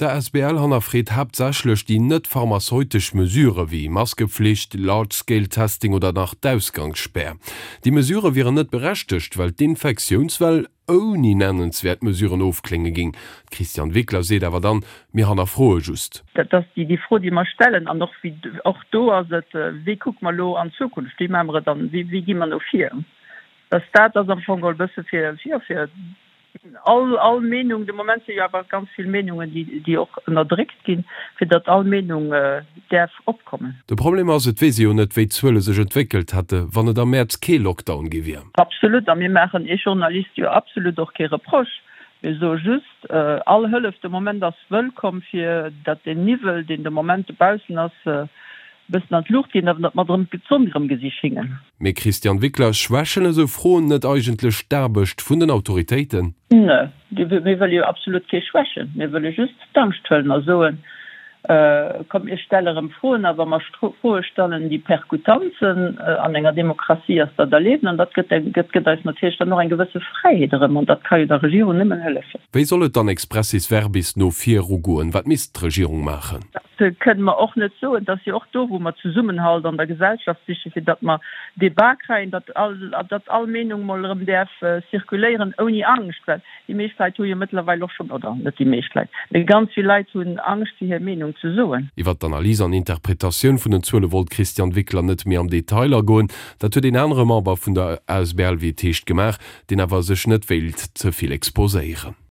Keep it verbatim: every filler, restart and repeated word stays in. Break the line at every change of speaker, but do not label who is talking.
D'A S B L hannerfreet haaptsächlech déi net pharmazeutesch Mesurë wéi Maskepflicht, Large-Scale-Testing oder nach d'Ausgangsspär. Déi Mesurë wieren net berechtegt, well d'Infektiounswell ouni nennenswäert Mesuren ofklénge géing. D'Christiane Wickler seet awer dann, Mir hannerfroe just.
Dat ass déi Fro, déi mer stellen. An och wéi, och do ass et, wéi kucke mer elo an d'Zukunft, wéi maache mer et dann, wéi, wéi gi mer no vir? Dass dat ass am Fong geholl e bësse fir, jo, fir all, all Meenung, de Moment si jo awer ganz vill Meenungen, déi, déi och ënnerdréckt ginn, fir datt all Meenung däerf opkommen.
De Problem ass, et weess ee jo net, wéi d'Zuele sech entwéckelt hätte, wann et am Mäerz kee Lockdown gi wier.
Absolut, a mir maachen Iech Journaliste jo absolut och kee Reproche. Mir soe just, all Hëllef de Moment ass wëllkomm, fir datt deen Niwwel, deen de Moment dobaussen ass, e bëssen an d'Luucht geet, awer datt mer erëm d'Sonn erëm gesi schéngen.
Mee Christiane Wickler, schwächen esou Froen net eigentlech d'Aarbecht vun den Autoritéiten?
Nee, mir wëlle jo absolut kee schwächen. Mir wëlle just d'Angscht huelen a soen, Kommt, mir stelle erëm Froen. A wa mer Froe stellen, déi perkutant sinn, an enger Demokratie ass dat erlaabt an dat gëtt, gëtt eis natierlech dann och eng gewësse Fräiheet erëm an dat ka jo der Regierung nëmmen hëllefen.
Wéi soll et dann expressis verbis no virugoen? Wat misst d'Regierung maachen?
Dat kënne mer och net soen. Et ass jo och do, wou mer Zesummenhalt an der Gesellschaft sichen, fir datt mer Debat kréien, datt all, datt all Meenung mol erëm däerf zirkuléieren ouni Angscht. Well déi meescht Leit hu jo mëttlerweil och schonn, oder net déi meescht Leit, mee ganz vill Leit hunn Angscht, fir hir Meenung ze soen.
Iwwert d'Analys an Interpretatioun vun den Zuele wollt d'Christiane Wickler net méi am Detail agoen. Dat huet een anere Member vun der A S B L, wéi et heescht, gemaach, deen awer sech net wéilt ze vill exposéieren.